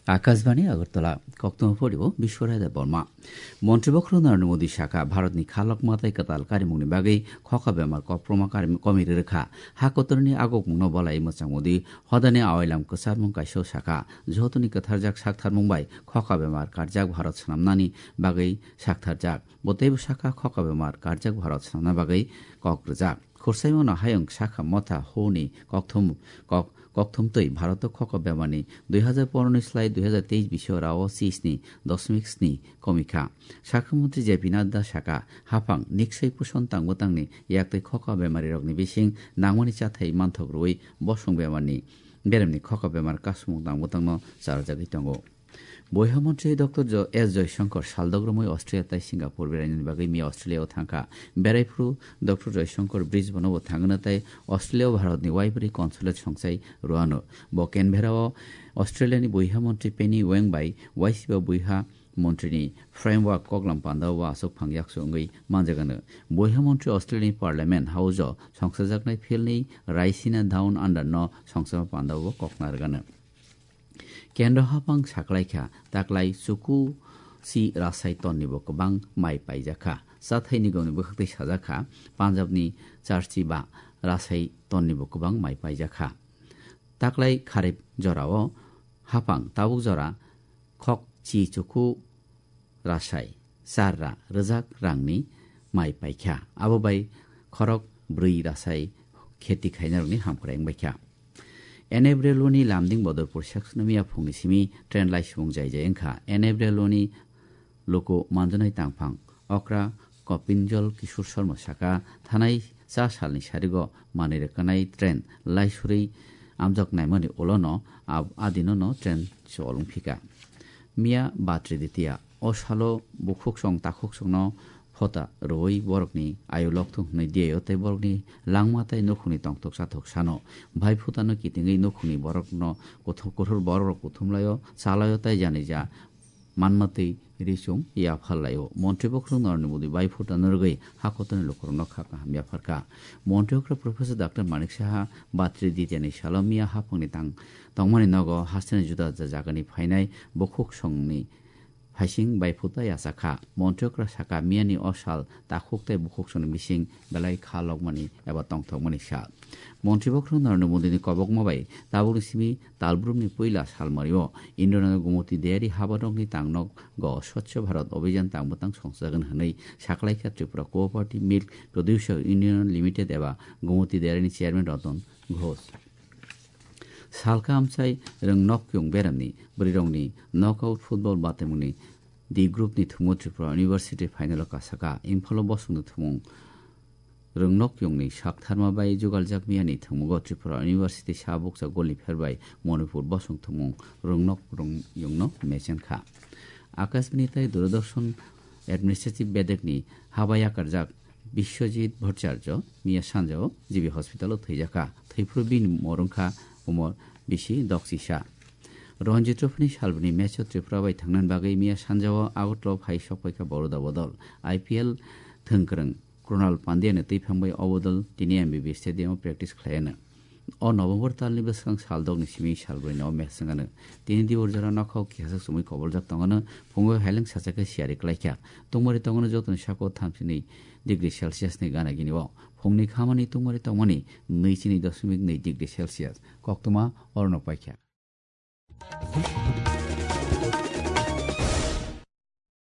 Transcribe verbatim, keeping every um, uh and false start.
Akashbani Agartala, koktwma phorio Biswarai Debbarma. Montri bokhorok Narendra Modi sakha, Bharatni khalok matai kwtal karimungni bagwi khokha bemar koproma karim-, komi rwrwkha. Ha kotorni agokmungno bolai mwchang Modi hodani awailam kwcharmung kaisa sakha. Jotoni kwtharjak saktharmung bai khokha bemar karjak Bharat swnamnani bagwi saktharjak. Bo teibo sakha khokha bemar karjak Bharat swnamna bagwi kok rwjak. Khursaimano hayung sakha motha huni kokthum, kok, kokthum twi Bharoto khokha bemarni dui hajar pondro ni slai dui hajar teis bisio rao chisni dosmik sni komikha. Sakha montri J P Nadda sakha, haphang niksai puson tangbo tangni yaktwi khokha bemarirokni bising nangmani chathai manthok rwui bosong bemarni beremni khokha bemar kasumung tangbo tangno charajagwi tongo. Boiha montri Doctor Jo-, S Joyshankar saldok romwi Australia tai Singapore berainani bagwi miya Australia o thangkha. Beraiphuru Doctor Joyshankar Brisbane o bo thangna tai Australia o Bharatni Waibri Consulate songchai rwano. Bo Canberra o Australia ni boiha montri Penny Wong bai waisiba boiha montri ni framework koklam panda o aswk phang yaksu wngwi manjagano. Boiha montri Australia ni Parliament House o songsajaknai philni raisina Down Under no songsama panda o kokna rwgano. Kendro hapang saklaikha, taklai chuku si rasai tonni bo kwbang mai paijakha. Chathai nigomni bwkhaktwi sajakha, Punjabni charchi ba rasai tonni bo kwbang mai paijakha. Taklai kharip jorao hapang tabuk jora khok chi chuku rasai char ra rwjak rangni mai paikha. Abo bai khorok bwrwi rasai kheti khainarokni hamkrai wngbaikha. N F Railway ni Lamding Bodorpur section o miya phungni simi train laisumung jai jai wngkha. N F Railway ni luku manjanai tangphang okra Kopinjol Kishore Sharma saka thanai cha salni sarigo manwi rwkanai train laisurwi amjak naimani ulono ab-, adinono train cholwng phika. Miya Batri Ditia o salo bukhuksong takhuksongno phota rwui borokni ayu lokthung hwnwi diyaio tei borokni langma tei nukhungni tongthok chathok sano. Bai phutano kitingwi nukhungni borokno kuthum-, kuthur borokrok kuthumlaio, chalaio tei janija manmatwi risung yaphar laio. Montri bokhorok Narendra Modi bai phutano rwgwi hakotorni lukurokno kha kaham yapharkha. Montri okra Professor Doctor Manik Saha Batri Ditiani salo miya haphangni tang tongmani nogo hasteni juda juda jagani phainai bukhuksongni phaising bai phuta yachakha. Montri okra saka miyani o sal takhuk tei bukhuksongni bising belai kha lokmani eba tongthokmani sal. Montri bokhorok Narendra Modini kobokma bai tabukni simi talbrumni puila salmario Indranagar Gomoti Dairy habarokni tangnogo Swachh Bharat Abhiyan tangbo tang songchajagan hwnwi saklaikha Tripura Cooperative Milk Producer Union Limited eba Gomoti Dairy ni Chairman Ratan Ghosh. Salka amchai rwng nokyung beramni bwrwirokni knockout football batemungni D group ni thwngmung Tripura University final o kasaka. Imphalo bosongni thwngmung rwng nokyungni saktharma bai jugaljak miyani thwngmungo Tripura University sabuksa golni pherbai Manipur bosong thwngmung rwng nok rwng yungno mechenkha. Akashbani tai Doordarshan Administrative bedekni haba yakarjak Biswajit Bhattacharya miya sanjao G B hospital o thwijakha. Thwiphuru bini morongkha umor bisi doksisa. Ranji Trophy ni salbini match o Tripura bai thangnani bagwi miya sanjao Agartala o phai sokpaikha Baroda bodol. I P L thwngkwrwng Krunal Pandya ni twiphang bai o bodol tini M B B stadium o practice khlaiano. O November talni bwskang sal dokni simi sal brwino o match wngano. Tini Dior jora nokhao kisasak chumui koboljak tongano, phungo haileng sacha khe siyari klaikha. Tungmari tongano jotoni sako thamsini degree Celsius ni gana gini o. Phungni khamani tungmari tongmani nwi chini dosmik nwi degree Celsius. Koktwma orono paikha.